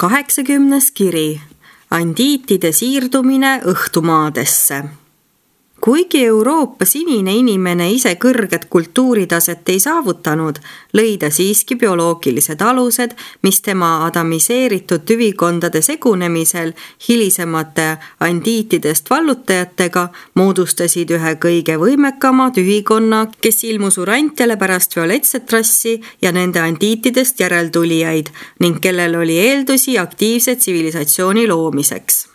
80. kiri. Andiitide siirdumine õhtumaadesse. Kuigi Euroopa sinine inimene ise kõrget kultuuritaset ei saavutanud, lõi ta siiski bioloogilised alused, mis tema adamiseeritud tüvikondade segunemisel hilisemate andiitidest vallutajatega moodustasid ühe kõige võimekama tüvikonna, kes ilmus urantiale pärast violetset rassi ja nende andiitidest järeltulijaid ning kellel oli eeldusi aktiivse tsivilisatsiooni loomiseks.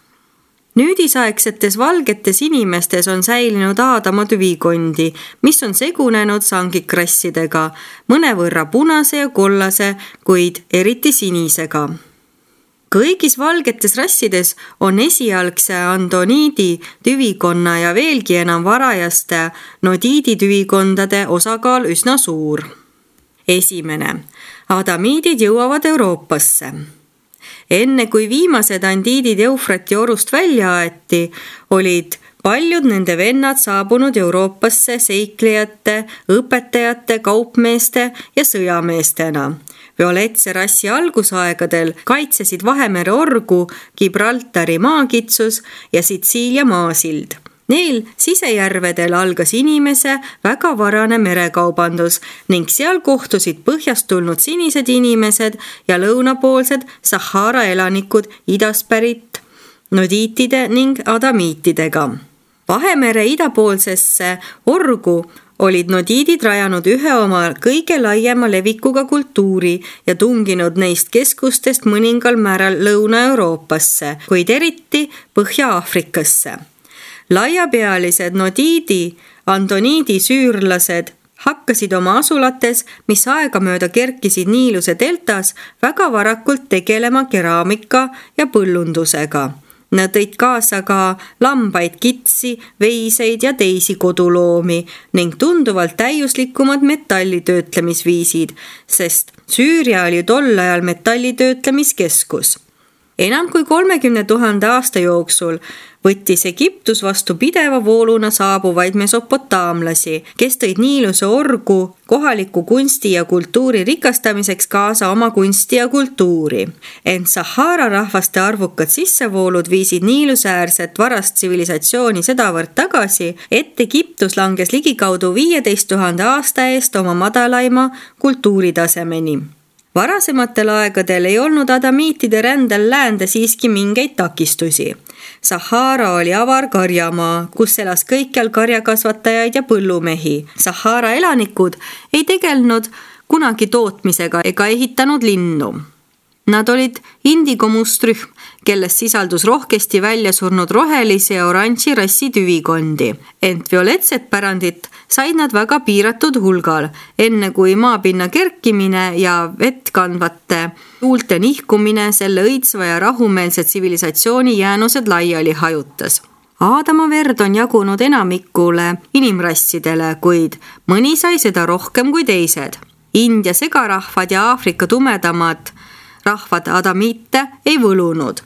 Nüüdisaegsetes valgetes inimestes on säilinud Aadama tüvikondi, mis on segunenud sangikrassidega, mõnevõrra punase ja kollase, kuid eriti sinisega. Kõigis valgetes rassides on esialgse andoniidi tüvikonna ja veelgi enam varajaste nodiidi tüvikondade osakaal üsna suur. Esimene. Adamiidid jõuavad Euroopasse. Enne kui viimased andiidid Eufrati orust välja aeti, olid paljud nende vennad saabunud Euroopasse seiklejate, õpetajate, kaupmeeste ja sõjameestena. Violetse rassi algusaegadel kaitsesid Vahemere orgu Gibraltari maakitsus ja Sitsiilia maasild. Neil sisejärvedel algas inimese väga varane merekaubandus ning seal kohtusid põhjast tulnud sinised inimesed ja lõunapoolsed Sahara elanikud idast pärit nodiitide ning adamiitidega. Vahemere idapoolsesse orgu olid nodiidid rajanud ühe oma kõige laiema levikuga kultuuri ja tunginud neist keskustest mõningal määral Lõuna-Euroopasse, kuid eriti Põhja-Aafrikasse. Laiapealised nodiidi, andoniidi süürlased hakkasid oma asulates, mis aegamööda kerkisid Niiluse deltas, väga varakult tegelema keraamika ja põllundusega. Nad tõid kaasa ka lambaid, kitsi, veiseid ja teisi koduloomi ning tunduvalt täiuslikumad metallitöötlemisviisid, sest Süüria oli tol ajal metallitöötlemiskeskus. Enam kui 30 000 aasta jooksul võttis Egiptus vastu pideva vooluna saabuvaid mesopotaamlasi, kes tõid Niiluse orgu kohaliku kunsti ja kultuuri rikastamiseks kaasa oma kunsti ja kultuuri. Ent Sahara rahvaste arvukad sissevoolud viisid Niiluse äärset varast tsivilisatsiooni sedavõrd tagasi, et Egiptus langes ligikaudu 15 000 aasta eest oma madalaima kultuuritasemeni. Varasematel aegadel ei olnud adamiitide rändel läände siiski mingeid takistusi. Sahara oli avar karjamaa, kus elas kõikjal karjakasvatajaid ja põllumehi. Sahara elanikud ei tegelnud kunagi tootmisega ega ehitanud linnu. Nad olid indigomustrühm, kelles sisaldus rohkesti välja surnud rohelisi ja oranži rassi tüvikondi. Ent violetset pärandit said nad väga piiratud hulgal, enne kui maapinna kerkimine ja vett kandvate tuulte nihkumine selle õitsva ja rahumeelse tsivilisatsiooni jäänused laiali hajutas. Aadama verd on jagunud enamikule inimrassidele, kuid mõni sai seda rohkem kui teised. India segarahvad ja Aafrika tumedamad rahvad adamiite ei võlunud.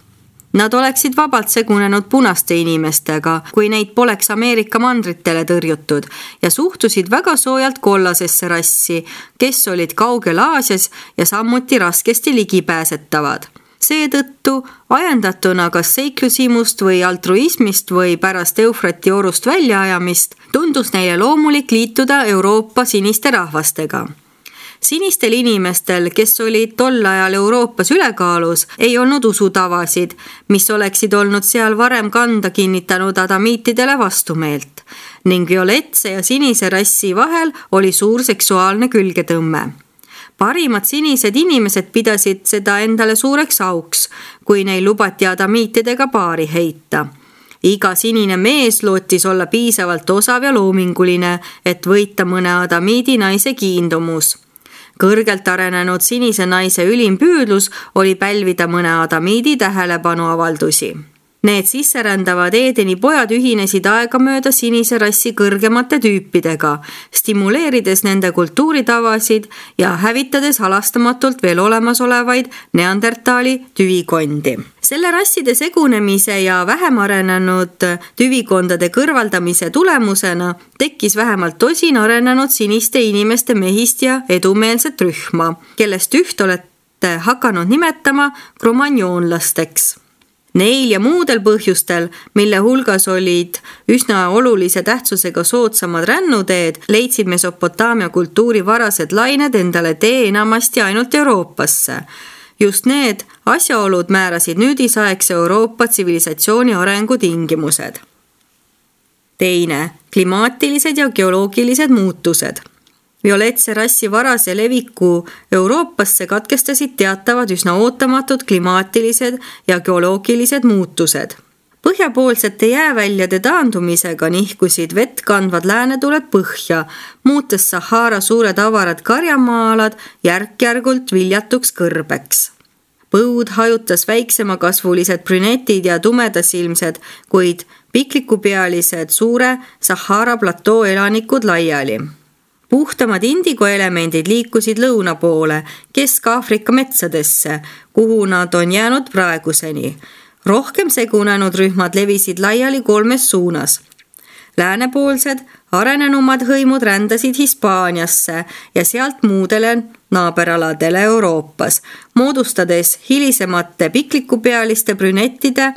Nad oleksid vabalt segunenud punaste inimestega, kui neid poleks Ameerika mandritele tõrjutud ja suhtusid väga soojalt kollasesse rassi, kes olid kaugel Aasias ja samuti raskesti ligipääsetavad. Seetõttu ajendatuna kas seiklusimust või altruismist või pärast Eufrati orust väljaajamist tundus neile loomulik liituda Euroopa siniste rahvastega. Sinistel inimestel, kes olid tol ajal Euroopas ülekaalus, ei olnud usutavasid, mis oleksid olnud seal varem kanda kinnitanud adamiitidele vastumeelt, ning violetse ja sinise rassi vahel oli suur seksuaalne külgetõmme. Parimad sinised inimesed pidasid seda endale suureks auks, kui neil lubati adamiitidega paari heita. Iga sinine mees lootis olla piisavalt osav ja loominguline, et võita mõne adamiidi naise kiindumus. Kõrgelt arenenud sinise naise ülim püüdlus oli pälvida mõne adamiidi tähelepanu avaldusi. Need sisserändavad Eedeni pojad ühinesid aegamööda sinise rassi kõrgemate tüüpidega, stimuleerides nende kultuuritavasid ja hävitades halastamatult veel olemasolevaid neandertaali tüvikondi. Selle rasside segunemise ja vähem arenenud tüvikondade kõrvaldamise tulemusena tekkis vähemalt tosin arenenud siniste inimeste mehist ja edumeelset rühma, kellest üht hakanud nimetama kromanjoonlasteks. Neil ja muudel põhjustel, mille hulgas olid üsna olulise tähtsusega soodsamad rännuteed, leidsid Mesopotaamia kultuuri varased lained endale tee enamasti ainult Euroopasse. Just need asjaolud määrasid nüüdisaegse Euroopa tsivilisatsiooni arengu tingimused. Teine, klimaatilised ja geoloogilised muutused. Violetse rassi varase leviku Euroopasse katkestasid teatavad üsna ootamatud klimaatilised ja geoloogilised muutused. Põhjapoolsete jääväljade taandumisega nihkusid vett kandvad läänetuled põhja, muutes Sahara suured avarad karjamaalad järk-järgult viljatuks kõrbeks. Põud hajutas väiksemakasvulised brünetid ja tumedasilmsed, kuid piklikupealised suure Sahara platoo elanikud laiali. Puhtamad indigoelemendid liikusid lõuna poole, Kesk-Aafrika metsadesse, kuhu nad on jäänud praeguseni. Rohkem segunenud rühmad levisid laiali 3 suunas. Läänepoolsed, arenenumad hõimud rändasid Hispaaniasse ja sealt muudele naaberaladele Euroopas, moodustades hilisemate piklikupealiste brünettide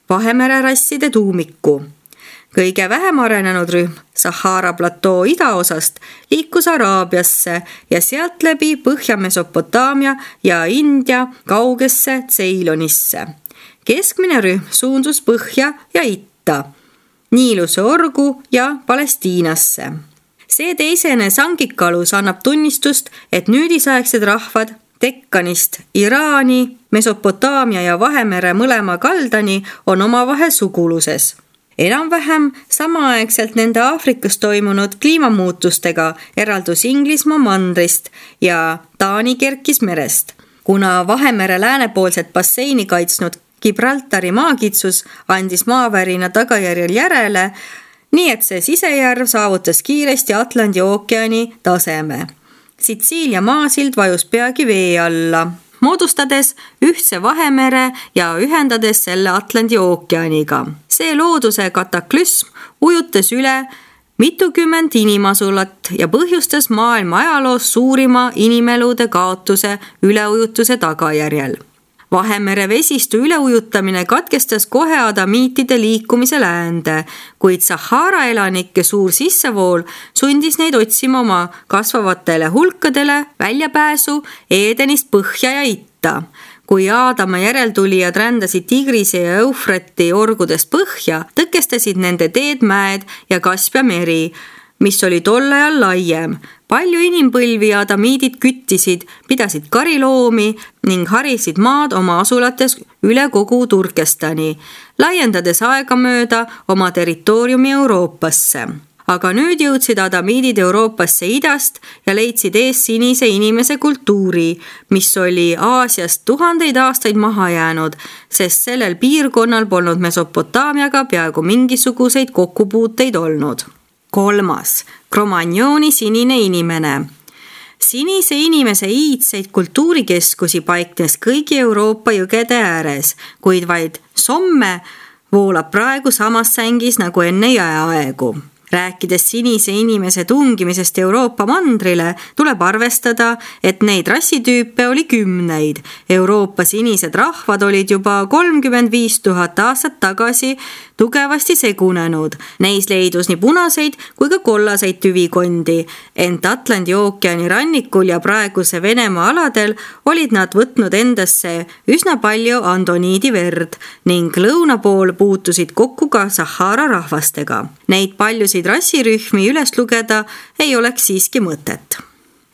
Vahemere rasside tuumiku. Kõige vähem arenenud rühm Sahara platoo idaosast liikus Araabiasse ja sealt läbi Põhja-Mesopotaamia ja India kaugesse Ceylonisse. Keskmine rühm suundus põhja ja itta, Niiluse orgu ja Palestiinasse. See teisene sangikalus annab tunnistust, et nüüdisaegsed rahvad Dekkanist Iraani, Mesopotaamia ja Vahemere mõlema kaldani on omavahel suguluses. Enam-vähem samaaegselt nende Aafrikas toimunud kliimamuutustega eraldus Inglismaa mandrist ja Taani kerkis merest. Kuna Vahemere läänepoolset basseini kaitsnud Gibraltari maakitsus andis maavärina tagajärjel järele, nii et see sisejärv saavutas kiiresti Atlandi ookeani taseme. Sitsiilia maasild vajus peagi vee alla, moodustades ühtse Vahemere ja ühendades selle Atlandi ookeaniga. See looduse kataklüsm ujutas üle mitukümmend inimasulat ja põhjustas maailma ajaloos suurima inimelude kaotuse üleujutuse tagajärjel. Vahemere vesistu üleujutamine katkestas kohe adamiitide liikumise läände, kuid Sahara elanike suur sissevool sundis neid otsima oma kasvavatele hulkadele väljapääsu Eedenist põhja ja itta. Kui Aadama järeltulijad rändasid Tigrise ja Eufrati orgudest põhja, tõkestasid nende teed mäed ja Kaspia meri, mis oli tol ajal laiem. Palju inimpõlvi ja adamiidid küttisid, pidasid kariloomi ning harisid maad oma asulates üle kogu Turkestani, laiendades aegamööda oma territooriumi Euroopasse. Aga nüüd jõudsid adamiidid Euroopasse idast ja leidsid ees sinise inimese kultuuri, mis oli Aasiast tuhandeid aastaid maha jäänud, sest sellel piirkonnal polnud Mesopotaamiaga peaaegu mingisuguseid kokkupuuteid olnud. 3. Kromanjooni sinine inimene. Sinise inimese iidseid kultuurikeskusi paiknes kõigi Euroopa jõgede ääres, kuid vaid Somme voolab praegu samas sängis nagu enne jääaegu. Rääkides sinise inimese tungimisest Euroopa mandrile, tuleb arvestada, et neid rassitüüpe oli 10. Euroopa sinised rahvad olid juba 35 000 aastat tagasi tugevasti segunenud. Neis leidus nii punaseid kui ka kollaseid tüvikondi, ent Atlandi ookeani rannikul ja praeguse Venemaa aladel olid nad võtnud endasse üsna palju andoniidi verd ning lõuna pool puutusid kokku ka Sahara rahvastega. Neid paljusid rassirühmi üles lugeda ei oleks siiski mõtet.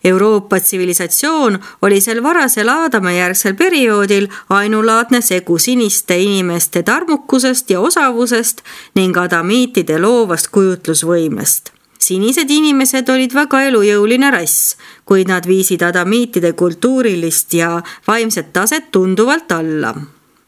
Euroopa tsivilisatsioon oli sel varasel Aadama-järgsel perioodil ainulaadne segu siniste inimeste tarmukusest ja osavusest ning adamiitide loovast kujutlusvõimest. Sinised inimesed olid väga elujõuline rass, kuid nad viisid adamiitide kultuurilist ja vaimset taset tunduvalt alla.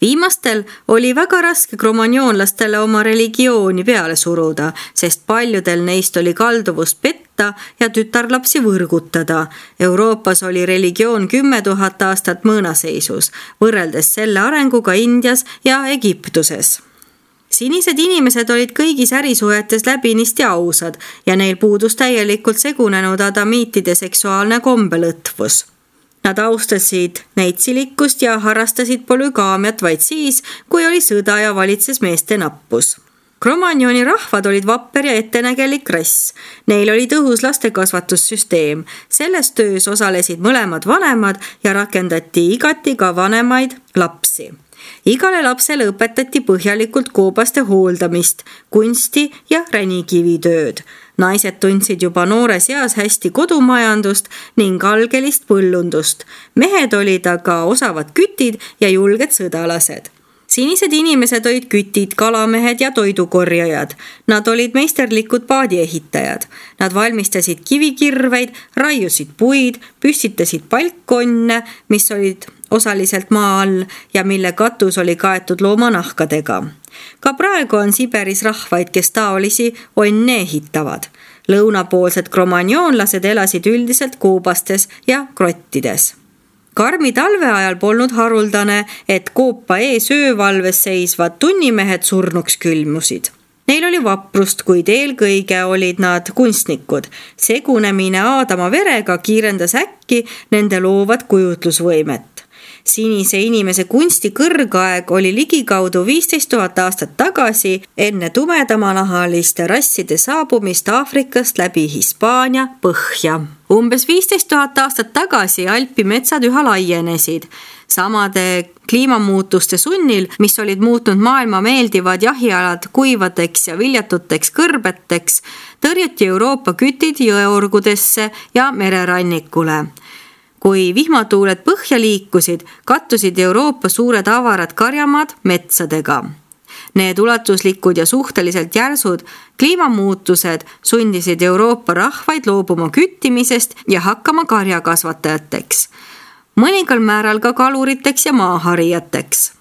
Viimastel oli väga raske kromanjoonlastele oma religiooni peale suruda, sest paljudel neist oli kalduvust petta ja tütarlapsi võrgutada. Euroopas oli religioon 10 000 aastat mõõnaseisus, võrreldes selle arenguga Indias ja Egiptuses. Sinised inimesed olid kõigis ärisuhetes läbinisti ausad ja neil puudus täielikult segunenud adamiitide seksuaalne kombelõtvus. Nad austasid neitsilikkust ja harrastasid polügaamiat vaid siis, kui oli sõda ja valitses meeste nappus. Cro-Magnoni rahvad olid vapper ja ettenägelik rass. Neil oli tõhus lastekasvatussüsteem. Selles töös osalesid mõlemad vanemad ja rakendati igati ka vanemaid lapsi. Igale lapsele õpetati põhjalikult koobaste hooldamist, kunsti ja ränikivitööd. Naised tundsid juba noores eas hästi kodumajandust ning algelist põllundust. Mehed olid aga osavad kütid ja julged sõdalased. Sinised inimesed olid kütid, kalamehed ja toidukorjajad. Nad olid meisterlikud paadiehitajad. Nad valmistasid kivikirveid, raiusid puid, püstitasid palkkonne, mis olid osaliselt maa all ja mille katus oli kaetud loomanahkadega. Ka praegu on Siberis rahvaid, kes taolisi onne ehitavad. Lõunapoolsed cro-magnonlased elasid üldiselt koobastes ja krottides. Karmi talve ajal polnud haruldane, et koopa ees öövalves seisvad tunnimehed surnuks külmusid. Neil oli vaprust, kuid eelkõige olid nad kunstnikud. Segunemine Aadama verega kiirendas äkki nende loovat kujutlusvõimet. Sinise inimese kunsti kõrgaeg oli ligikaudu 15 000 aastat tagasi enne tumedamanahaliste rasside saabumist Aafrikast läbi Hispaania põhja. Umbes 15 000 aastat tagasi Alpi metsad üha laienesid. Samade kliimamuutuste sunnil, mis olid muutnud maailma meeldivad jahialad kuivadeks ja viljatuteks kõrbeteks, tõrjuti Euroopa kütid jõeorgudesse ja mererannikule. Kui vihmatuuled põhja liikusid, kattusid Euroopa suured avarad karjamaad metsadega. Need ulatuslikud ja suhteliselt järsud kliimamuutused sundisid Euroopa rahvaid loobuma küttimisest ja hakkama karjakasvatajateks. Mõningal määral ka kaluriteks ja maaharijateks.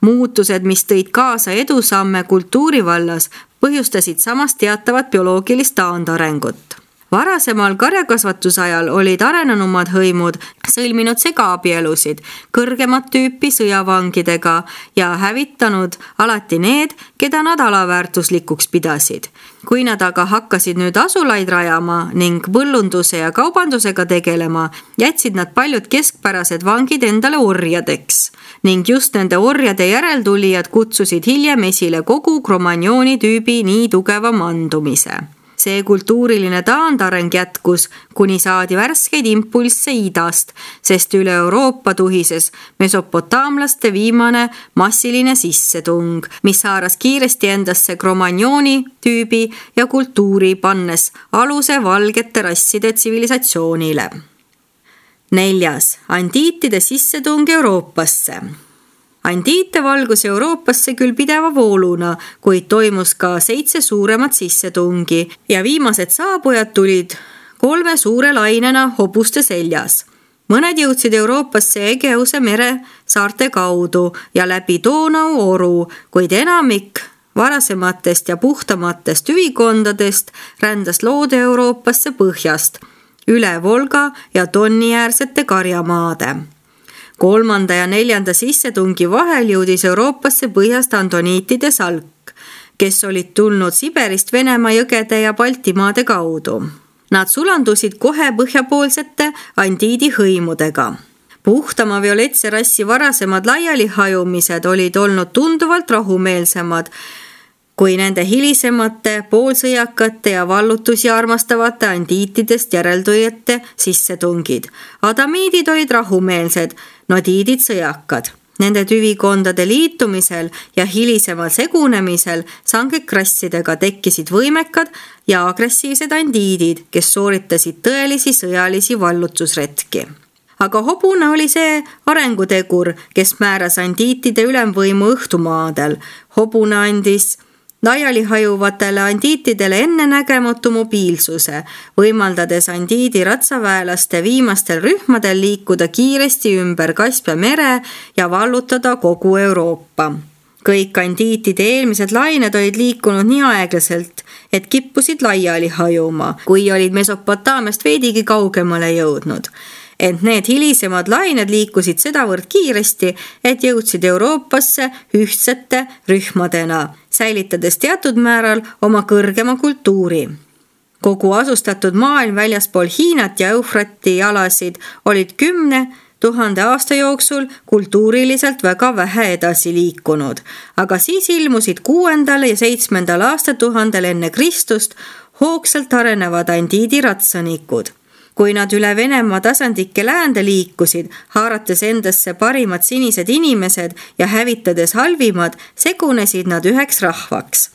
Muutused, mis tõid kaasa edusamme kultuuri vallas, põhjustasid samas teatavat bioloogilist taandarengut. Varasemal karjakasvatusajal olid arenenumad hõimud sõlminud segaabielusid kõrgemat tüüpi sõjavangidega ja hävitanud alati need, keda nad alaväärtuslikuks pidasid. Kui nad aga hakkasid nüüd asulaid rajama ning põllunduse ja kaubandusega tegelema, jätsid nad paljud keskpärased vangid endale orjadeks. Ning just nende orjade järeltulijad kutsusid hiljem esile kogu Cro-Magnoni tüübi nii tugeva mandumise. See kultuuriline taandareng jätkus, kuni saadi värskeid impulsse idast, sest üle Euroopa tuhises mesopotaamlaste viimane massiline sissetung, mis haaras kiiresti endasse Cro-Magnoni tüübi ja kultuuri, pannes aluse valgete rasside tsivilisatsioonile. 4. Andiitide sissetung Euroopasse. Andiite valgus Euroopasse küll pideva vooluna, kuid toimus ka 7 suuremat sissetungi ja viimased saabujad tulid 3 suure lainena hobuste seljas. Mõned jõudsid Euroopasse Egeuse mere saarte kaudu ja läbi Donau oru, kuid enamik varasematest ja puhtamatest üvikondadest rändas loode Euroopasse põhjast, üle Volga ja Doniäärsete karjamaade. 3. ja 4. sissetungi vahel jõudis Euroopasse põhjast antoniitide salk, kes olid tulnud Siberist Venemaa jõgede ja Baltimaade kaudu. Nad sulandusid kohe põhjapoolsete andiidi hõimudega. Puhtama violetse rassi varasemad laialihajumised olid olnud tunduvalt rahumeelsemad kui nende hilisemate, poolsõjakate ja vallutusi armastavate andiitidest järeltulijate sissetungid. Adamiidid olid rahumeelsed, nodiidid sõjakad. Nende tüvikondade liitumisel ja hilisemal segunemisel sangekrassidega tekkisid võimekad ja agressiivsed andiidid, kes sooritasid tõelisi sõjalisi vallutusretki. Aga hobune oli see arengutegur, kes määras andiitide ülemvõimu õhtumaadel. Hobune andis laialihajuvatele andiitidele ennenägematu mobiilsuse, võimaldades andiidi ratsaväelaste viimastel rühmadel liikuda kiiresti ümber Kaspia mere ja vallutada kogu Euroopa. Kõik andiitide eelmised lained olid liikunud nii aeglaselt, et kippusid laiali hajuma, kui olid Mesopotaamiast veidigi kaugemale jõudnud. Ent need hilisemad lained liikusid sedavõrd kiiresti, et jõudsid Euroopasse ühtsete rühmadena, säilitades teatud määral oma kõrgema kultuuri. Kogu asustatud maailm väljaspool Hiinat ja Eufrati jalasid olid 10 000 aasta jooksul kultuuriliselt väga vähe edasi liikunud, aga siis ilmusid 6. ja 7. aastatuhandel enne Kristust hoogsalt arenevad andiidi ratsanikud. Kui nad üle Venemaa tasandike läände liikusid, haarates endasse parimad sinised inimesed ja hävitades halvimad, segunesid nad üheks rahvaks.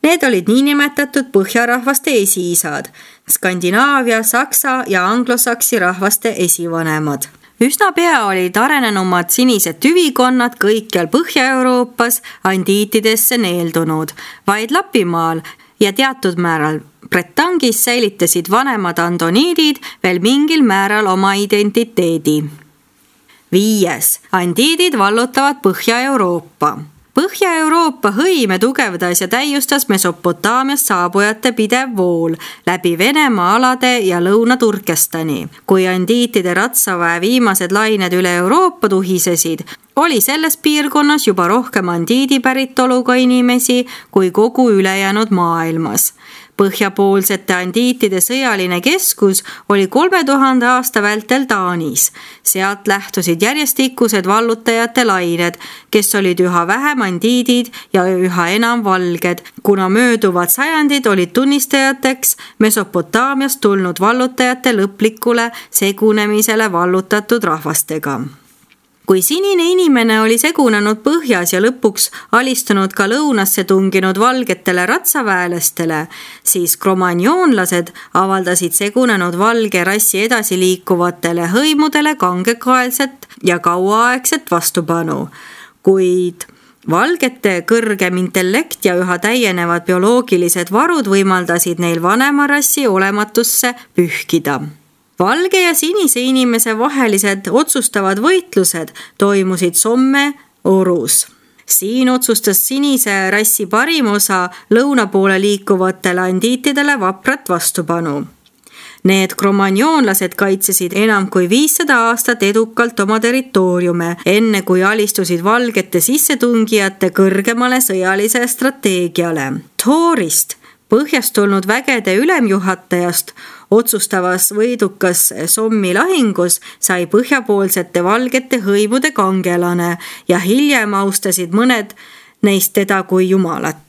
Need olid niinimetatud põhjarahvaste esiisad, Skandinaavia, saksa ja anglosaksi rahvaste esivanemad. Üsna pea olid arenenumad sinised tüvikonnad kõikjal Põhja-Euroopas andiitidesse neeldunud, vaid Lapimaal ja teatud määral Bretangis säilitasid vanemad andoniidid veel mingil määral oma identiteedi. 5. Andiidid vallutavad Põhja-Euroopa. Põhja-Euroopa hõime tugevdas ja täiustas Mesopotaamiast saabujate pidev vool läbi Venemaa alade ja Lõuna-Turkestani. Kui andiitide ratsaväe viimased lained üle Euroopa tuhisesid, oli selles piirkonnas juba rohkem andiidi päritoluga inimesi kui kogu ülejäänud maailmas. Põhjapoolsete andiitide sõjaline keskus oli 3000 aasta vältel Taanis. Sealt lähtusid järjestikused vallutajate lained, kes olid üha vähem andiidid ja üha enam valged, kuna mööduvad sajandid olid tunnistajateks Mesopotaamiast tulnud vallutajate lõplikule segunemisele vallutatud rahvastega. Kui sinine inimene oli segunenud põhjas ja lõpuks alistunud ka lõunasse tunginud valgetele ratsaväelastele, siis kromagnoonlased avaldasid segunenud valge rassi edasi liikuvatele hõimudele kangekaelset ja kauaaegset vastupanu. Kuid valgete kõrgem intellekt ja üha täienevad bioloogilised varud võimaldasid neil vanema rassi olematusse pühkida. Valge ja sinise inimese vahelised otsustavad võitlused toimusid Somme orus. Siin otsustas sinise rassi parim osa lõuna poole liikuvatele andiitidele vaprat vastupanu. Need kromagnoonlased kaitsesid enam kui 500 aastat edukalt oma territooriume, enne kui alistusid valgete sissetungijate kõrgemale sõjalise strateegiale. Thorist, põhjast tulnud vägede ülemjuhatajast, otsustavas võidukas Sommi lahingus sai põhjapoolsete valgete hõimude kangelane ja hiljem austasid mõned neist teda kui jumalat.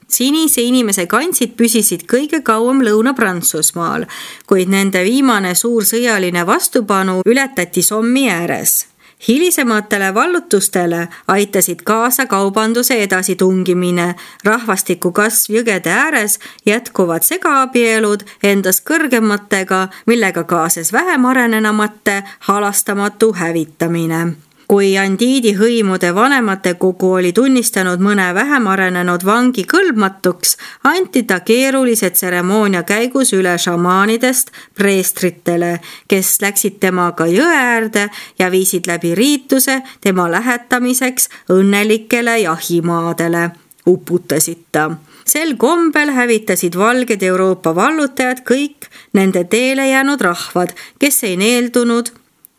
Sinise inimese kantsid püsisid kõige kauem Lõuna-Prantsusmaal, kuid nende viimane suur sõjaline vastupanu ületati Sommi ääres. Hilisematele vallutustele aitasid kaasa kaubanduse edasitungimine, rahvastiku kasv jõgede ääres, jätkuvad segaabielud endast kõrgematega, millega kaasas vähem arenenamate halastamatu hävitamine. Kui andiidi hõimude vanemate kogu oli tunnistanud mõne vähem arenenud vangi kõlbmatuks, anti ta keerulise tseremoonia käigus üle šamaanidest preestritele, kes läksid temaga jõe äärde ja viisid läbi riituse tema lähetamiseks õnnelikele jahimaadele. Uputasid ta. Sel kombel hävitasid valged Euroopa vallutajad kõik nende teele jäänud rahvad, kes ei neeldunud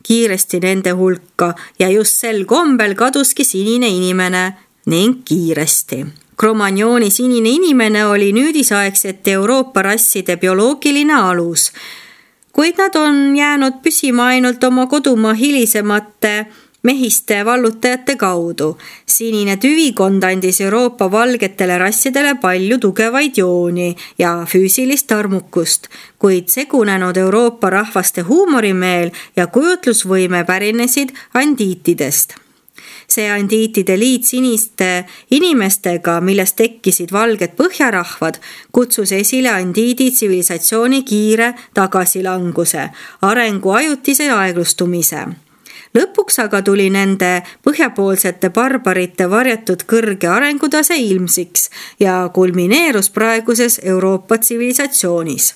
kiiresti nende hulka ja just sel kombel kaduski sinine inimene ning kiiresti. Kromagnooni sinine inimene oli nüüdisaegsete Euroopa rasside bioloogiline alus, kuid nad on jäänud püsima ainult oma kodumaa hilisemate mehiste vallutajate kaudu. Sinine tüvikond andis Euroopa valgetele rassidele palju tugevaid jooni ja füüsilist armukust, kuid segunenud Euroopa rahvaste huumorimeel ja kujutlusvõime pärinesid andiitidest. See andiitide liit siniste inimestega, millest tekkisid valged põhjarahvad, kutsus esile andiidi tsivilisatsiooni kiire tagasilanguse, arengu ajutise aeglustumise. Lõpuks aga tuli nende põhjapoolsete barbarite varjatud kõrge arengutase ilmsiks ja kulmineerus praeguses Euroopa tsivilisatsioonis.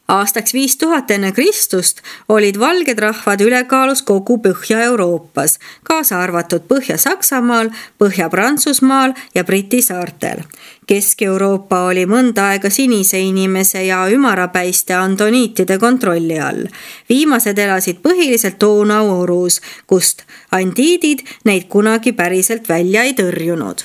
Aastaks 5000 enne Kristust olid valged rahvad ülekaalus kogu Põhja-Euroopas, kaasa arvatud Põhja-Saksamaal, Põhja-Prantsusmaal ja Briti saartel. Kesk-Euroopa oli mõnda aega sinise inimese ja ümarapäiste andoniitide kontrolli all. Viimased elasid põhiliselt Donau orus, kust andiidid neid kunagi päriselt välja ei tõrjunud.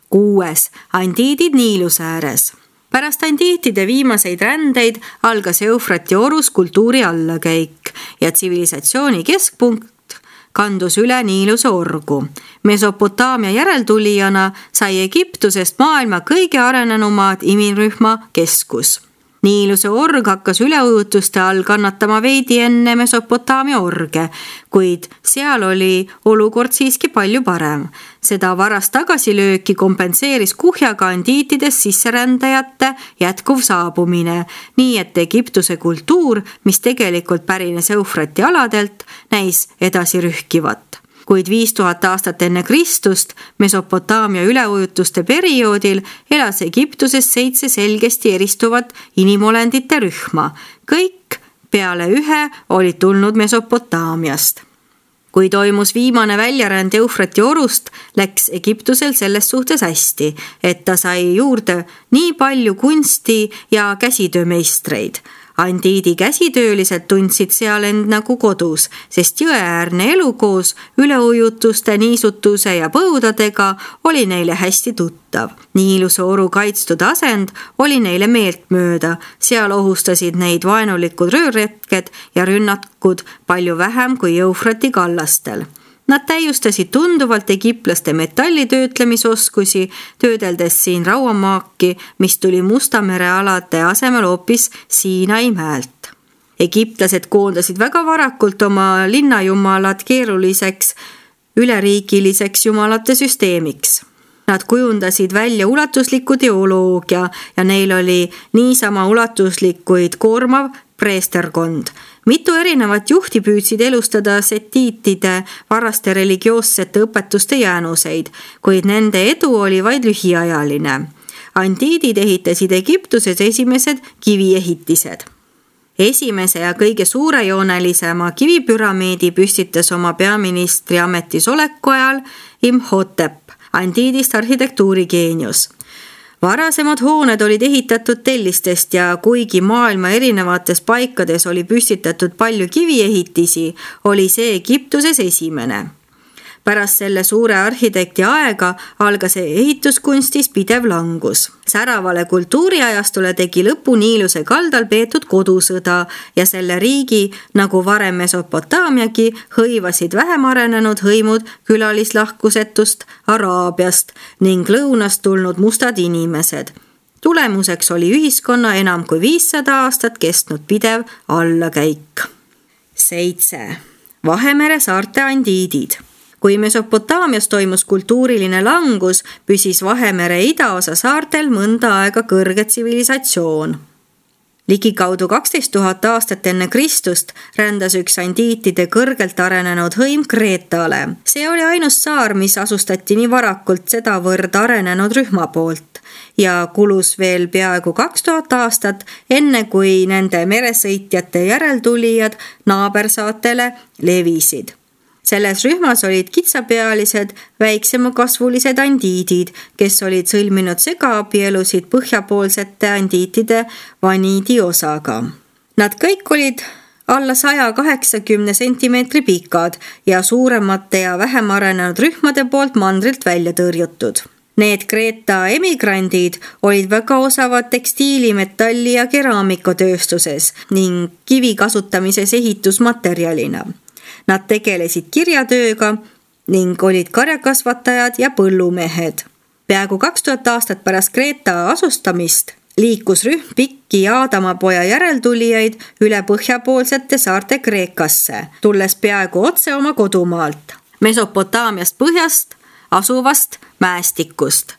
6. Andiidid Niiluse ääres. Pärast andiitide viimaseid rändeid algas Eufrati orus kultuuri allakäik ja tsivilisatsiooni keskpunkt kandus üle Niiluse orgu. Mesopotaamia järeltulijana sai Egiptusest maailma kõige arenenumaad imirühma keskus. Niiluse org hakkas üleujutuste all kannatama veidi enne Mesopotaamia orge, kuid seal oli olukord siiski palju parem. Seda varast tagasilööki kompenseeris kuhjaga andiitides sisserändajate jätkuv saabumine, nii et Egiptuse kultuur, mis tegelikult pärines Eufrati aladelt, näis edasi rühkivat. Kuid 5000 aastat enne Kristust Mesopotaamia üleujutuste perioodil elas Egiptuses 7 selgesti eristuvat inimolendite rühma. Kõik peale ühe olid tulnud Mesopotaamiast. Kui toimus viimane väljaränd Eufrati orust, läks Egiptusel selles suhtes hästi, et ta sai juurde nii palju kunsti ja käsitöömeistreid. Andiidi käsitöölised tundsid seal end nagu kodus, sest jõeäärne elu koos üleujutuste, niisutuse ja põudadega oli neile hästi tuttav. Niiluse oru kaitstud asend oli neile meeltmööda, seal ohustasid neid vaenulikud röörretked ja rünnakud palju vähem kui Eufrati kallastel. Nad täiustasid tunduvalt egiptlaste metallitöötlemisoskusi, töödeldes siin rauamaaki, mis tuli Musta mere alade asemel hoopis Siinai mäelt. Egiptlased koondasid väga varakult oma linnajumalad keeruliseks üleriigiliseks jumalate süsteemiks. Nad kujundasid välja ulatusliku teoloogia ja neil oli niisama ulatuslikuid koormav preesterkond. Mitu erinevat juhti püüdsid elustada setiitide varaste religioossete õpetuste jäänuseid, kuid nende edu oli vaid lühiajaline. Andiidid ehitasid Egiptuses esimesed kiviehitised. Esimese ja kõige suurejoonelisema kivipüramiidi püstitas oma peaministri ametis oleku ajal Imhotep, andiidist arhitektuurigeenius. Varasemad hooned olid ehitatud tellistest ja kuigi maailma erinevates paikades oli püstitatud palju kiviehitisi, oli see Egiptuses esimene. Pärast selle suure arhitekti aega algas ehituskunstis pidev langus. Säravale kultuuriajastule tegi lõpu Niiluse kaldal peetud kodusõda ja selle riigi, nagu varem Mesopotaamiagi, hõivasid vähem arenenud hõimud külalislahkusetust Araabiast ning lõunast tulnud mustad inimesed. Tulemuseks oli ühiskonna enam kui 500 aastat kestnud pidev allakäik. 7. Vahemere saarte andiidid. Kui Mesopotaamias toimus kultuuriline langus, püsis Vahemere idaosa saartel mõnda aega kõrge tsivilisatsioon. Ligikaudu 12 000 aastat enne Kristust rändas üks andiitide kõrgelt arenenud hõim Kreetale. See oli ainus saar, mis asustati nii varakult sedavõrd arenenud rühma poolt ja kulus veel peaaegu 2000 aastat, enne kui nende meresõitjate järeltulijad naabersaatele levisid. Selles rühmas olid kitsapealised, väiksemakasvulised andiidid, kes olid sõlminud segaabielusid põhjapoolsete andiitide vaniidi osaga. Nad kõik olid alla 180 sentimeetri pikad ja suuremate ja vähem arenenud rühmade poolt mandrilt välja tõrjutud. Need Kreeta emigrandid olid väga osavad tekstiili, metalli ja keraamikatööstuses ning kivi kasutamises ehitusmaterjalina. Nad tegelesid kirjatööga ning olid karjakasvatajad ja põllumehed. Peaaegu 2000 aastat pärast Kreeta asustamist liikus rühm pikki Aadamapoja järeltulijaid üle põhjapoolsete saarte Kreekasse, tulles peaaegu otse oma kodumaalt, Mesopotaamiast põhjast asuvast mäestikust.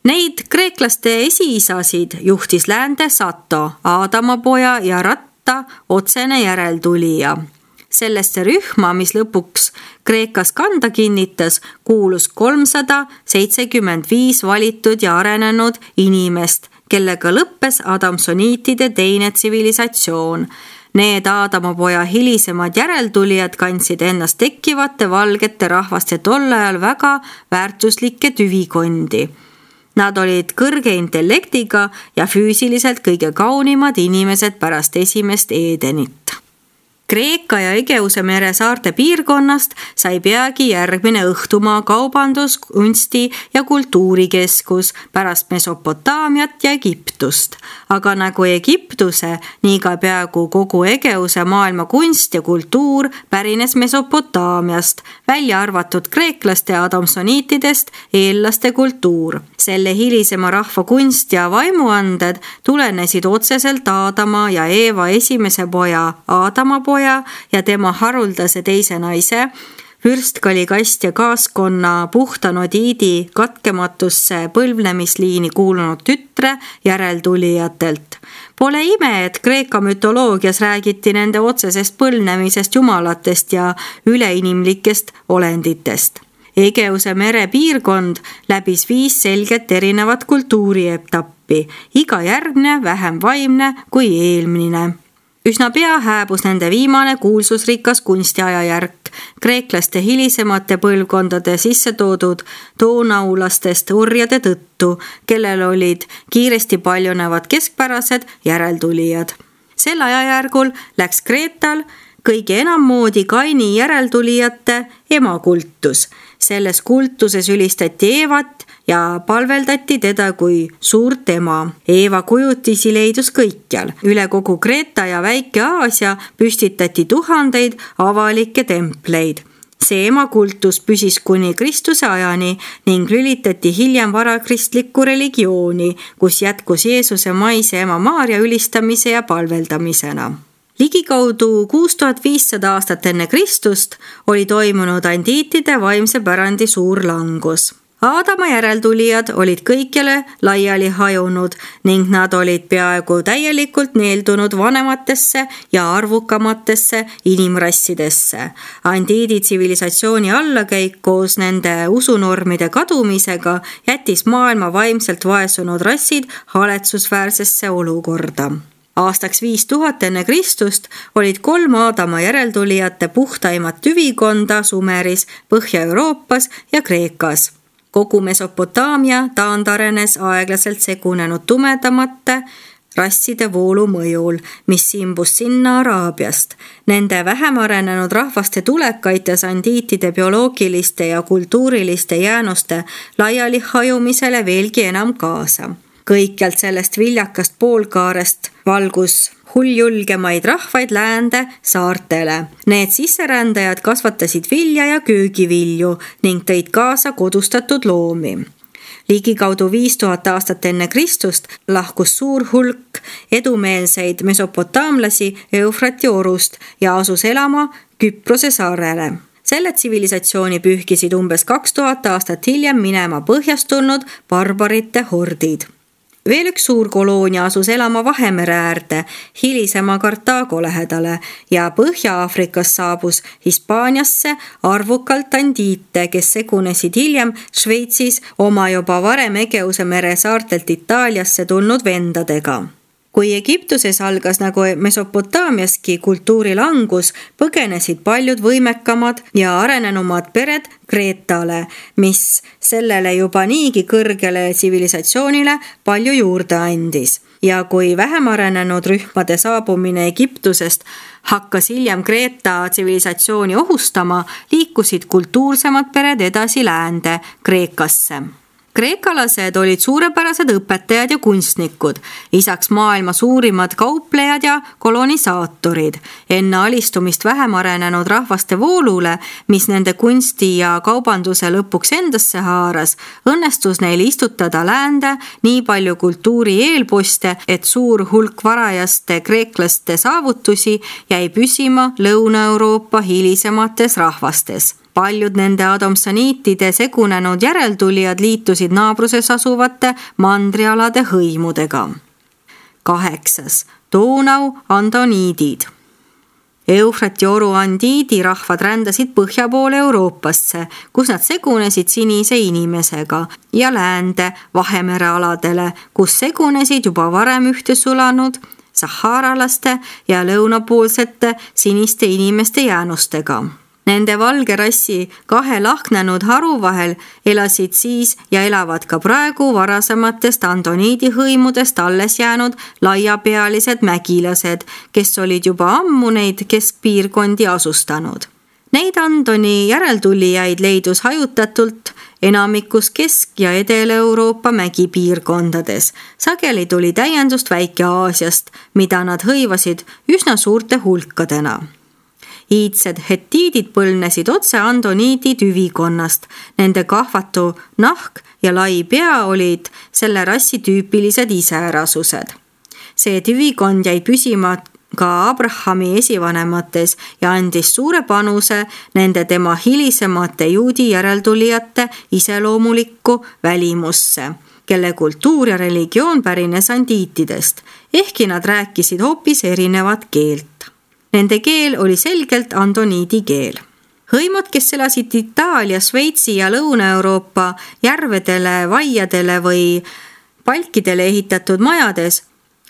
Neid kreeklaste esiisasid juhtis läände Sato, Aadamapoja ja Ratta otsene järeltulija. Sellesse rühma, mis lõpuks Kreekas kanda kinnitas, kuulus 375 valitud ja arenenud inimest, kellega lõppes adamsoniitide teine tsivilisatsioon. Need Aadamapoja hilisemad järeltulijad kandsid ennast tekkivate valgete rahvaste tol ajal väga väärtuslikke tüvikondi. Nad olid kõrge intellektiga ja füüsiliselt kõige kaunimad inimesed pärast esimest Edenit. Kreeka ja Egeuse mere saarte piirkonnast sai peagi järgmine õhtumaa kaubandus-, kunsti- ja kultuurikeskus pärast Mesopotaamiat ja Egiptust. Aga nagu Egiptuse, nii ka peaaegu kogu Egeuse maailma kunst ja kultuur pärines Mesopotaamiast, välja arvatud kreeklaste adamsoniitidest eellaste kultuur. Selle hilisema rahva kunst ja vaimuanded tulenesid otseselt Aadama ja Eeva esimese poja Aadama poja ja tema haruldase teise naise, vürstkali-kast- ja kaaskonna puhta nodiidi katkematusse põlvnemisliini kuulunud tütre järeltulijatelt. Pole ime, et Kreeka mütoloogias räägiti nende otsesest põlvnemisest jumalatest ja üleinimlikest olenditest. Egeuse mere piirkond läbis 5 selget erinevat kultuurietappi, iga järgmine vähem vaimne kui eelmine. Üsna pea hääbus nende viimane kuulsusrikas kunstiajajärk, kreeklaste hilisemate põlvkondade sisse toodud doonaulastest orjade tõttu, kellel olid kiiresti paljunevad keskpärased järeltulijad. Sel ajajärgul läks Kreetal kõige enam moodi Kaini järeltulijate emakultus. Selles kultuses ülistati Eevat ja palveldati teda kui suurt ema. Eeva kujutisi leidus kõikjal. Üle kogu Kreeta ja Väike-Aasia püstitati tuhandeid avalikke templeid. See emakultus püsis kuni Kristuse ajani ning lülitati hiljem varakristlikku religiooni, kus jätkus Jeesuse maise ema Maaria ülistamise ja palveldamisena. Ligikaudu 6500 aastat enne Kristust oli toimunud andiitide vaimse pärandi suur langus. Aadama järeltulijad olid kõikjale laiali hajunud ning nad olid peaaegu täielikult neeldunud vanematesse ja arvukamatesse inimrassidesse. Andiidi tsivilisatsiooni allakäik koos nende usunormide kadumisega jättis maailma vaimselt vaesunud rassid haletsusväärsesse olukorda. Aastaks 5000 enne Kristust olid 3 Aadama järeltulijate puhtaimat tüvikonda Sumeris, Põhja-Euroopas ja Kreekas. Kogu Mesopotaamia taandarenes aeglaselt segunenud tumedamate rasside voolu mõjul, mis simbus sinna Araabiast. Nende vähem arenenud rahvaste tulek aitas andiitide bioloogiliste ja kultuuriliste jäänuste laiali hajumisele veelgi enam kaasa. Kõikjalt sellest viljakast poolkaarest valgus hulljulgemaid rahvaid läände saartele. Need sisserändajad kasvatasid vilja ja köögivilju ning tõid kaasa kodustatud loomi. Ligikaudu 5000 aastat enne Kristust lahkus suur hulk edumeelseid mesopotaamlasi Eufrati orust ja asus elama Küprose saarele. Selle tsivilisatsiooni pühkisid umbes 2000 aastat hiljem minema põhjast tulnud barbarite hordid. Veel üks suur koloonia asus elama Vahemere äärde, hilisema Kartaago lähedale ja Põhja-Aafrikas saabus Hispaaniasse arvukalt andiite, kes segunesid hiljem Šveitsis oma juba varem Egeuse mere saartelt Itaaliasse tulnud vendadega. Kui Egiptuses algas nagu Mesopotaamiaski kultuuri langus, põgenesid paljud võimekamad ja arenenumad pered Kreetale, mis sellele juba niigi kõrgele tsivilisatsioonile palju juurde andis. Ja kui vähem arenenud rühmade saabumine Egiptusest hakkas hiljem Kreeta tsivilisatsiooni ohustama, liikusid kultuursemad pered edasi läände Kreekasse. Kreekalased olid suurepärased õpetajad ja kunstnikud, lisaks maailma suurimad kauplejad ja kolonisaatorid. Enne alistumist vähem arenenud rahvaste voolule, mis nende kunsti ja kaubanduse lõpuks endasse haaras, õnnestus neil istutada läände nii palju kultuuri eelposte, et suur hulk varajaste kreeklaste saavutusi jäi püsima Lõuna-Euroopa hilisemates rahvastes. Paljud nende adamsoniitide segunenud järeltulijad liitusid naabruses asuvate mandrialade hõimudega. 8. Donau andoniidid. Eufrati oru andiidi rahvad rändasid põhja poole Euroopasse, kus nad segunesid sinise inimesega ja läände Vahemere aladele, kus segunesid juba varem ühte sulanud saharalaste ja lõunapoolsete siniste inimeste jäänustega. Nende valge rassi 2 lahknenud haru vahel elasid siis ja elavad ka praegu varasematest andoniidi hõimudest alles jäänud laiapealised mägilased, kes olid juba ammu neid keskpiirkondi asustanud. Neid andoni järeltulijaid leidus hajutatult enamikus Kesk- ja Edel-Euroopa mägipiirkondades. Sageli tuli täiendust Väike-Aasiast, mida nad hõivasid üsna suurte hulkadena. Iidsed hetiidid põlnesid otse andoniidi tüvikonnast. Nende kahvatu nahk ja lai pea olid selle rassi tüüpilised iseärasused. See tüvikond jäi püsima ka Abrahami esivanemates ja andis suure panuse nende tema hilisemate juudi järeltulijate iseloomulikku välimusse, kelle kultuur ja religioon pärines andiitidest, ehkki nad rääkisid hoopis erinevat keelt. Nende keel oli selgelt andoniidi keel. Hõimud, kes elasid Itaalia, Šveitsi ja Lõuna-Euroopa järvedele, vaiadele või palkidele ehitatud majades,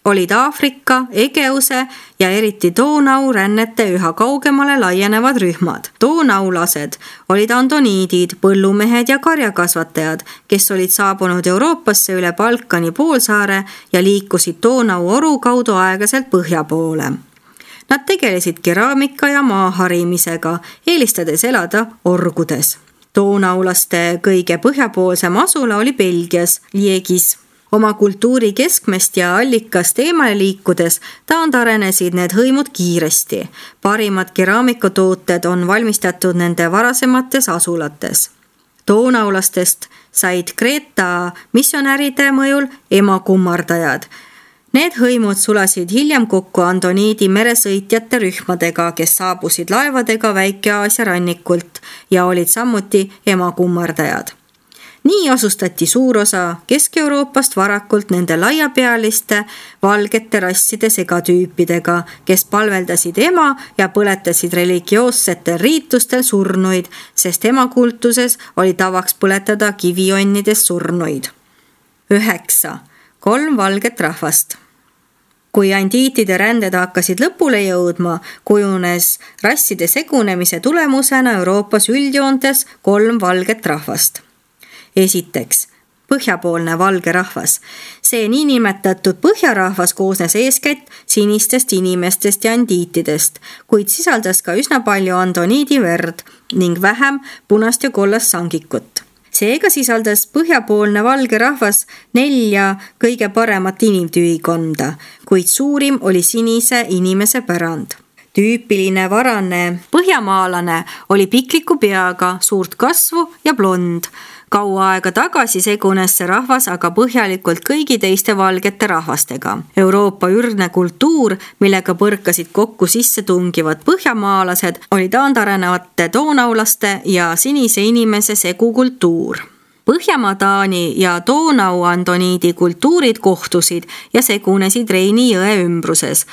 olid Aafrika, Egeuse ja eriti Donau rännete üha kaugemale laienevad rühmad. Donaulased olid andoniidid, põllumehed ja karjakasvatajad, kes olid saabunud Euroopasse üle Balkani poolsaare ja liikusid Donau oru kaudu aeglaselt põhja poole. Nad tegelesid keraamika ja maaharimisega, eelistades elada orgudes. Donaulaste kõige põhjapoolsem asula oli Belgias, Liegis. Oma kultuuri keskmest ja allikast eemale liikudes taandarenesid need hõimud kiiresti. Parimad keraamikatooted on valmistatud nende varasemates asulates. Donaulastest said Kreeta missionäride mõjul emakummardajad. Need hõimud sulasid hiljem kokku andoniidi meresõitjate rühmadega, kes saabusid laevadega Väike-Aasia rannikult ja olid samuti emakummardajad. Nii asustati suur osa Kesk-Euroopast varakult nende laiapealiste valgete rasside segatüüpidega, kes palveldasid ema ja põletasid religioossetel riitustel surnuid, sest emakultuses oli tavaks põletada kivionnidest surnuid. 9. 3 valget rahvast. Kui andiitide ränded hakkasid lõpule jõudma, kujunes rasside segunemise tulemusena Euroopas üldjoontes 3 valget rahvast. Esiteks, põhjapoolne valge rahvas. See niinimetatud põhjarahvas koosnes eeskätt sinistest inimestest ja andiitidest, kuid sisaldas ka üsna palju andoniidi verd ning vähem punast ja kollast sangikut. Seega sisaldas põhjapoolne valge rahvas 4 kõige paremat inimtüvikonda, kuid suurim oli sinise inimese pärand. Tüüpiline varane põhjamaalane oli pikliku peaga, suurt kasvu ja blond. Kaua aega tagasi segunes see rahvas aga põhjalikult kõigi teiste valgete rahvastega. Euroopa ürgne kultuur, millega põrkasid kokku sissetungivad põhjamaalased, oli taandarenevate donaulaste ja sinise inimese segukultuur. Põhjamaa-Taani ja Donau-andoniidi kultuurid kohtusid ja segunesid Reini jõe ümbruses,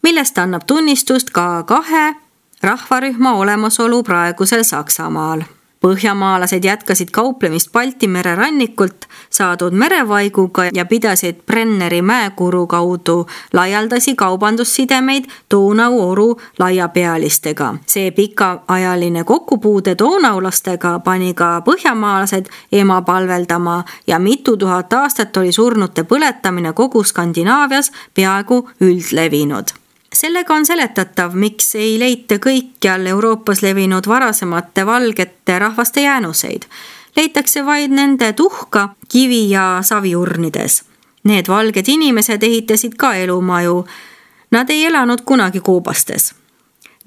millest annab tunnistust ka 2 rahvarühma olemasolu praegusel Saksamaal. Põhjamaalased jätkasid kauplemist Balti mere rannikult saadud merevaiguga ja pidasid Brenneri mäekuru kaudu laialdasi kaubandussidemeid Donau oru laiapealistega. See pikaajaline kokkupuude donaulastega pani ka põhjamaalased ema palveldama ja mitu tuhat aastat oli surnute põletamine kogu Skandinaavias peaaegu üldlevinud. Sellega on seletatav, miks ei leita kõikjal Euroopas levinud varasemate valgete rahvaste jäänuseid. Leitakse vaid nende tuhka, kivi- ja saviurnides. Need valged inimesed ehitasid ka elumaju. Nad ei elanud kunagi koobastes.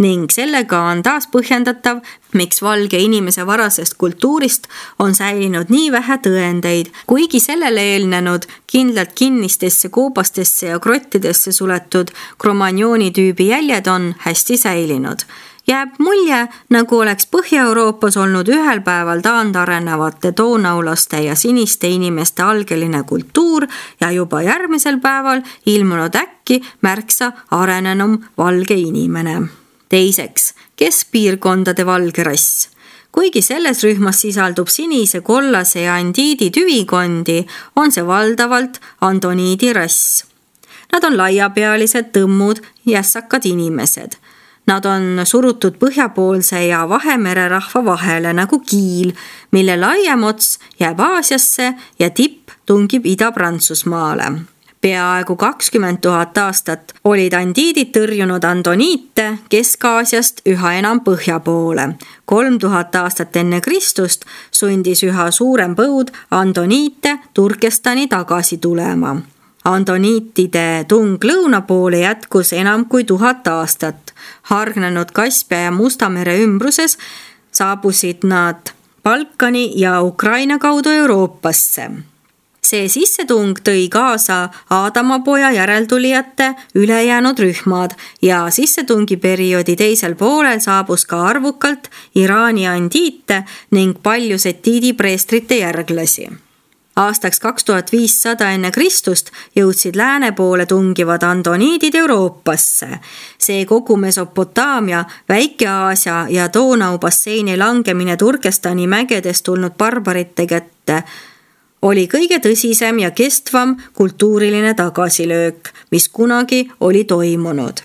Ning sellega on taas põhjendatav, miks valge inimese varasest kultuurist on säilinud nii vähe tõendeid, kuigi sellele eelnenud kindlalt kinnistesse koobastesse ja grottidesse suletud Cromagnone'i tüübi jäljed on hästi säilinud. Jääb mulje, nagu oleks Põhja-Euroopas olnud ühel päeval taandarenevate donaulaste ja siniste inimeste algeline kultuur ja juba järgmisel päeval ilmunud äkki märksa arenenum valge inimene. Teiseks, keskpiirkondade valge rass. Kuigi selles rühmas sisaldub sinise, kollase ja andiidi tüvikondi, on see valdavalt andoniidi rass. Nad on laiapealised, tõmmud, jässakad inimesed. Nad on surutud põhjapoolse ja Vahemere rahva vahele nagu kiil, mille laiem ots jääb Aasiasse ja tipp tungib Ida-Prantsusmaale. Peaaegu 20 000 aastat olid andiidid tõrjunud andoniite Kesk-Aasiast üha enam põhja poole. 3000 aastat enne Kristust sundis üha suurem põud andoniite Turkestani tagasi tulema. Andoniitide tung lõuna poole jätkus enam kui 1000 aastat. Hargnenud Kaspia ja Musta mere ümbruses saabusid nad Balkani ja Ukraina kaudu Euroopasse. See sissetung tõi kaasa Aadamapoja järeltulijate ülejäänud rühmad ja sissetungiperioodi teisel poolel saabus ka arvukalt Iraani andiite ning palju setiidi preestrite järglasi. Aastaks 2500 enne Kristust jõudsid lääne poole tungivad andoniidid Euroopasse. See kogu Mesopotaamia, Väike-Aasia ja Donau basseini langemine Turkestani mägedest tulnud barbarite kätte oli kõige tõsisem ja kestvam kultuuriline tagasilöök, mis kunagi oli toimunud.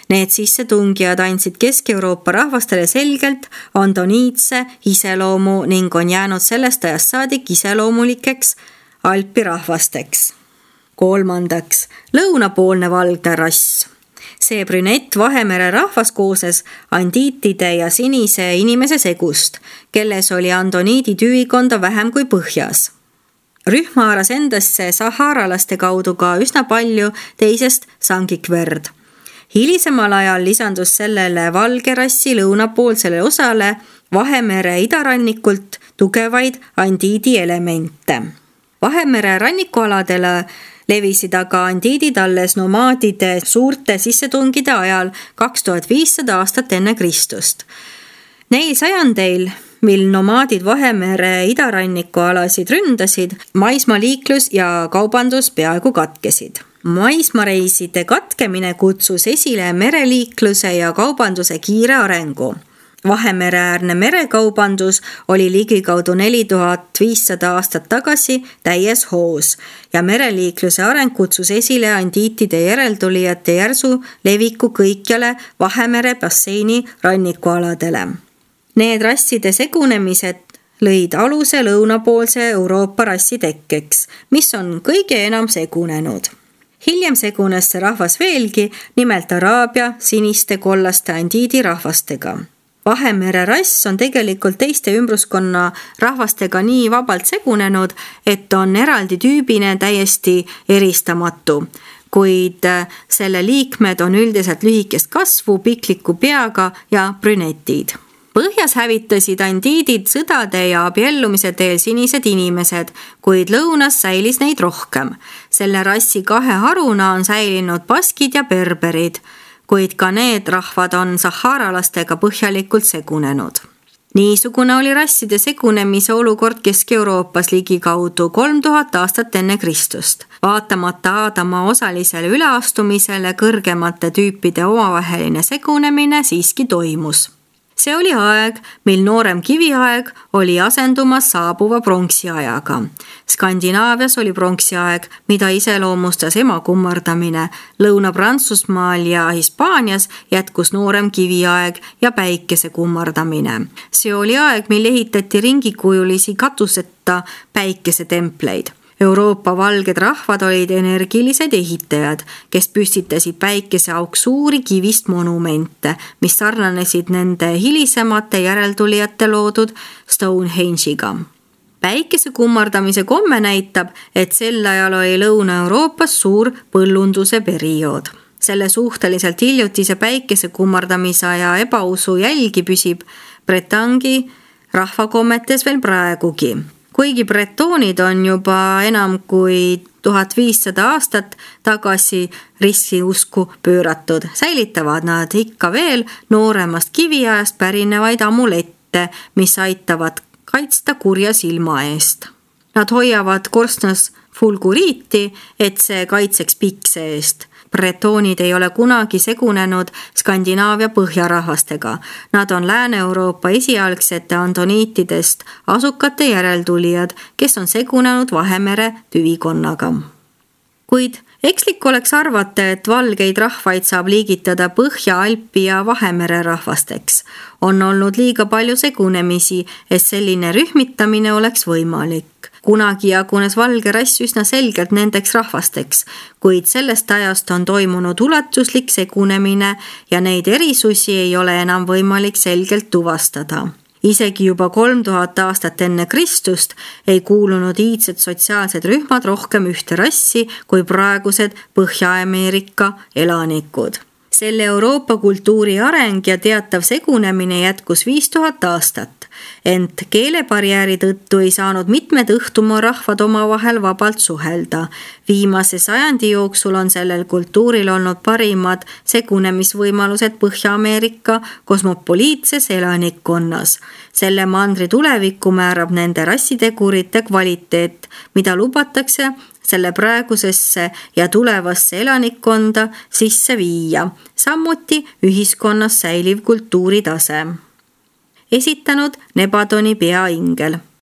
Need sissetungijad andsid Kesk-Euroopa rahvastele selgelt andoniitse iseloomu ning on jäänud sellest ajast saadik iseloomulikeks Alpi rahvasteks. 3. Lõunapoolne valgne rass. See brünett Vahemere rahvas kooses andiitide ja sinise inimese segust, kelles oli andoniidi tüvikonda vähem kui põhjas. Rühm haaras endasse saharalaste kaudu ka üsna palju teisest sangikverd. Hilisemal ajal lisandus sellele valge rassi lõunapoolsele osale Vahemere idarannikult tugevaid andiidi elemente. Vahemere rannikualadele levisid aga andiidid alles nomaadide suurte sissetungide ajal 2500 aastat enne Kristust. Neil sajandeil, mil nomaadid Vahemere idarannikualasid ründasid, maismaaliiklus ja kaubandus peaaegu katkesid. Maismareiside katkemine kutsus esile mereliikluse ja kaubanduse kiire arengu. Vahemereäärne merekaubandus oli ligikaudu 4500 aastat tagasi täies hoos ja mereliikluse areng kutsus esile andiitide järeltulijate järsu leviku kõikjale Vahemere basseini rannikualadele. Need rasside segunemised lõid aluse lõunapoolse Euroopa rassi tekkeks, mis on kõige enam segunenud. Hiljem segunes see rahvas veelgi, nimelt Araabia siniste kollaste andiidi rahvastega. Vahemere rass on tegelikult teiste ümbruskonna rahvastega nii vabalt segunenud, et on eraldi tüübine täiesti eristamatu, kuid selle liikmed on üldiselt lühikest kasvu, pikliku peaga ja brünetid. Põhjas hävitasid andiidid sõdade ja abiellumise teel sinised inimesed, kuid lõunas säilis neid rohkem. Selle rassi 2 haruna on säilinud baskid ja berberid, kuid ka need rahvad on saharalastega põhjalikult segunenud. Niisugune oli rasside segunemise olukord Kesk-Euroopas ligikaudu 3000 aastat enne Kristust. Vaatamata Aadama osalisele üleastumisele kõrgemate tüüpide omavaheline segunemine siiski toimus. See oli aeg, mil noorem kiviaeg oli asendumas saabuva pronksiajaga. Skandinaavias oli pronksiaeg, mida iseloomustas emakummardamine. Lõuna-Prantsusmaal ja Hispaanias jätkus noorem kiviaeg ja päikese kummardamine. See oli aeg, mil ehitati ringikujulisi katuseta päikesetempleid. Euroopa valged rahvad olid energilised ehitajad, kes püstitasid päikeseauk suuri kivist monumente, mis sarnanesid nende hilisemate järeltulijate loodud Stonehenge'iga. Päikese kummardamise komme näitab, et sel ajal oli Lõuna-Euroopas suur põllunduse periood. Selle suhteliselt hiljutise päikese kummardamise aja ebausu jälgi püsib Bretangi rahvakommetes veel praegugi. Kuigi bretoonid on juba enam kui 1500 aastat tagasi ristiusku pööratud, säilitavad nad ikka veel nooremast kiviajast pärinevaid amulette, mis aitavad kaitsta kurja silma eest. Nad hoiavad korstnas fulguriiti, et see kaitseks pikse eest. Bretoonid ei ole kunagi segunenud Skandinaavia põhjarahvastega. Nad on Lääne-Euroopa esialgsete andoniitidest asukate järeltulijad, kes on segunenud Vahemere tüvikonnaga. Kuid ekslik oleks arvata, et valgeid rahvaid saab liigitada Põhja-Alpi ja Vahemere rahvasteks. On olnud liiga palju segunemisi, et selline rühmitamine oleks võimalik. Kunagi jagunes valge rass üsna selgelt nendeks rahvasteks, kuid sellest ajast on toimunud ulatuslik segunemine ja neid erisusi ei ole enam võimalik selgelt tuvastada. Isegi juba 3000 aastat enne Kristust ei kuulunud iidsed sotsiaalsed rühmad rohkem ühte rassi kui praegused Põhja-Ameerika elanikud. Selle Euroopa kultuuri areng ja teatav segunemine jätkus 5000 aastat, ent keelebarjääri tõttu ei saanud mitmed õhtumaa rahvad omavahel vabalt suhelda. Viimase sajandi jooksul on sellel kultuuril olnud parimad segunemisvõimalused Põhja-Ameerika kosmopoliitses elanikkonnas. Selle mandri tulevikku määrab nende rassitegurite kvaliteet, mida lubatakse selle praegusesse ja tulevasse elanikkonda sisse viia, samuti ühiskonnas säiliv kultuuritase. Esitanud Nebadoni peaingel.